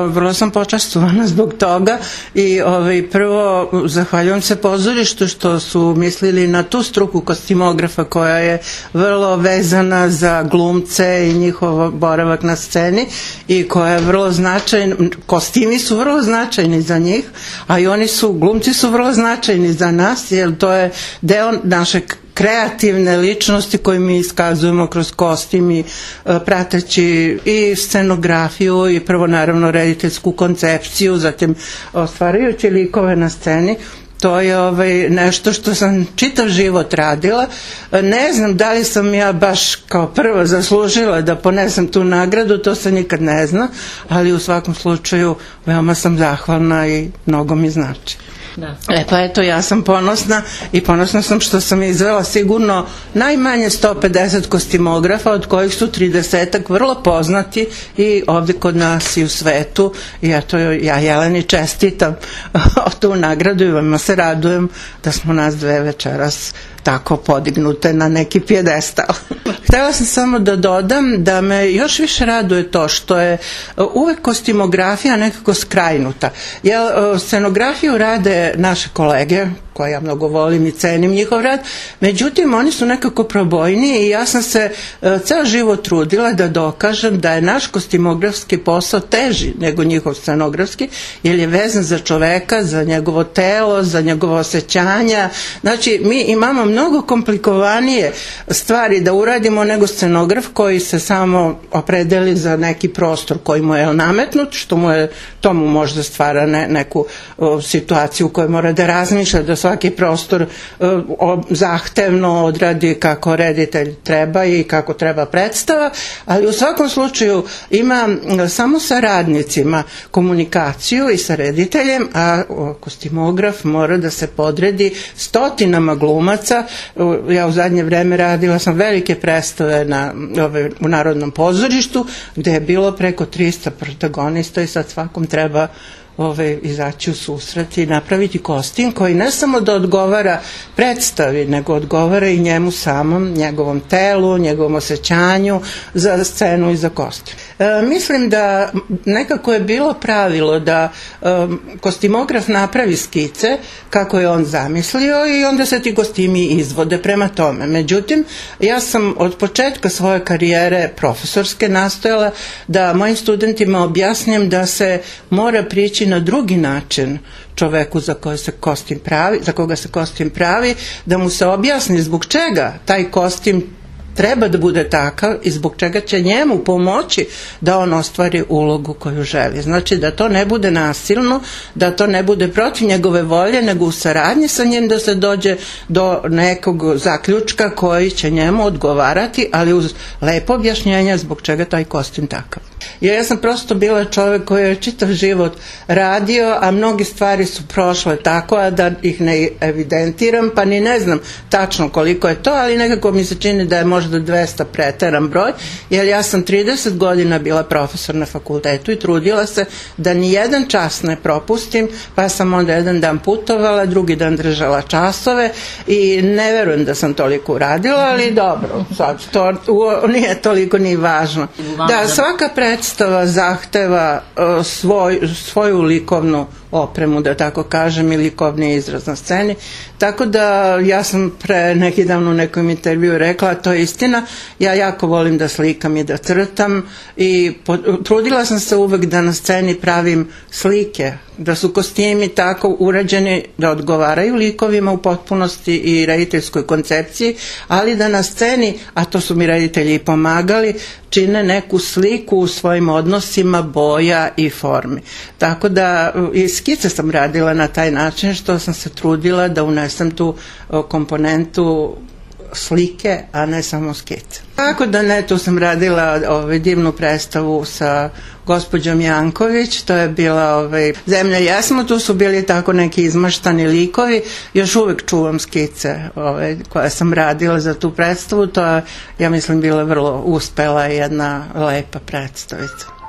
vrlo sam počastvovana zbog toga i prvo zahvaljujem se pozorištu što su mislili na tu struku kostimografa koja je vrlo vezana za glumce i njihov boravak na sceni i koja je vrlo značajna, kostimi su vrlo značajni za njih, a i glumci su vrlo značajni za nas, jer to je deo naše kreativne ličnosti koje mi iskazujemo kroz kostim i prateći i scenografiju i prvo naravno rediteljsku koncepciju, zatim stvarajući likove na sceni. To je nešto što sam čitav život radila. Ne znam da li sam ja baš kao prva zaslužila da ponesem tu nagradu, to se nikad ne zna, ali u svakom slučaju veoma sam zahvalna i mnogo mi znači. Da. Pa eto, ja sam ponosna i ponosna sam što sam izvela sigurno najmanje 150 kostimografa, od kojih su 30-ak vrlo poznati i ovdje kod nas i u svetu. I eto, ja Jeleni čestitam tu nagradu i vama se radujem da smo nas dve večeras tako podignute na neki pijedestal. Htjela sam samo da dodam da me još više raduje to što je uvek kostimografija nekako skrajnuta. Jer scenografiju rade naše kolege, koje ja mnogo volim i cenim njihov rad, međutim oni su nekako probojniji i ja sam se ceo život trudila da dokažem da je naš kostimografski posao teži nego njihov scenografski, jer je vezan za čoveka, za njegovo telo, za njegovo osjećanja. Znači mi imamo mnogo komplikovanije stvari da uradimo nego scenograf koji se samo opredeli za neki prostor koji mu je nametnut, to mu možda stvara neku situaciju u kojoj mora da razmišlja, da svaki prostor zahtevno odradi kako reditelj treba i kako treba predstava, ali u svakom slučaju ima samo sa radnicima komunikaciju i sa rediteljem, a kostimograf mora da se podredi stotinama glumaca. Ja u zadnje vreme radila sam velike predstave u Narodnom pozorištu gde je bilo preko 300 protagonista i sad svakom treba izaći u susret i napraviti kostim koji ne samo da odgovara predstavi, nego odgovara i njemu samom, njegovom telu, njegovom osjećanju za scenu i za kostim. Mislim da nekako je bilo pravilo da kostimograf napravi skice kako je on zamislio i onda se ti kostimi izvode prema tome. Međutim, ja sam od početka svoje karijere profesorske nastojala da mojim studentima objasnim da se mora prići na drugi način čoveku za koga se kostim pravi, da mu se objasni zbog čega taj kostim treba da bude takav i zbog čega će njemu pomoći da on ostvari ulogu koju želi. Znači da to ne bude nasilno, da to ne bude protiv njegove volje, nego u saradnji sa njim da se dođe do nekog zaključka koji će njemu odgovarati, ali uz lepo objašnjenje zbog čega taj kostim takav. Jer ja sam prosto bila čovjek koji je čitav život radio, a mnogi stvari su prošle tako, a da ih ne evidentiram, pa ni ne znam tačno koliko je to, ali nekako mi se čini da je možda 200 preteran broj, jer ja sam 30 godina bila profesor na fakultetu i trudila se da ni jedan čas ne propustim, pa sam onda jedan dan putovala, drugi dan držala časove i ne verujem da sam toliko uradila, ali dobro, sad to nije toliko ni važno. Da, svaka predstava zahteva svoju likovnu opremu, da tako kažem, i likovni izraz na sceni. Tako da ja sam pre neki dan u nekom intervju rekla, a to je istina, ja jako volim da slikam i da crtam i trudila sam se uvek da na sceni pravim slike, da su kostimi tako urađeni da odgovaraju likovima u potpunosti i rediteljskoj koncepciji, ali da na sceni, a to su mi reditelji i pomagali, čine neku sliku u svojim odnosima boja i formi. Tako da i skice sam radila na taj način što sam se trudila da unesem tu komponentu slike, a ne samo skice. Tako da ne, tu sam radila divnu predstavu sa gospođom Janković, to je bila Zemlja jesmo, tu su bili tako neki izmaštani likovi, još uvek čuvam skice koje sam radila za tu predstavu, to je, ja mislim, bila vrlo uspela jedna lepa predstavica.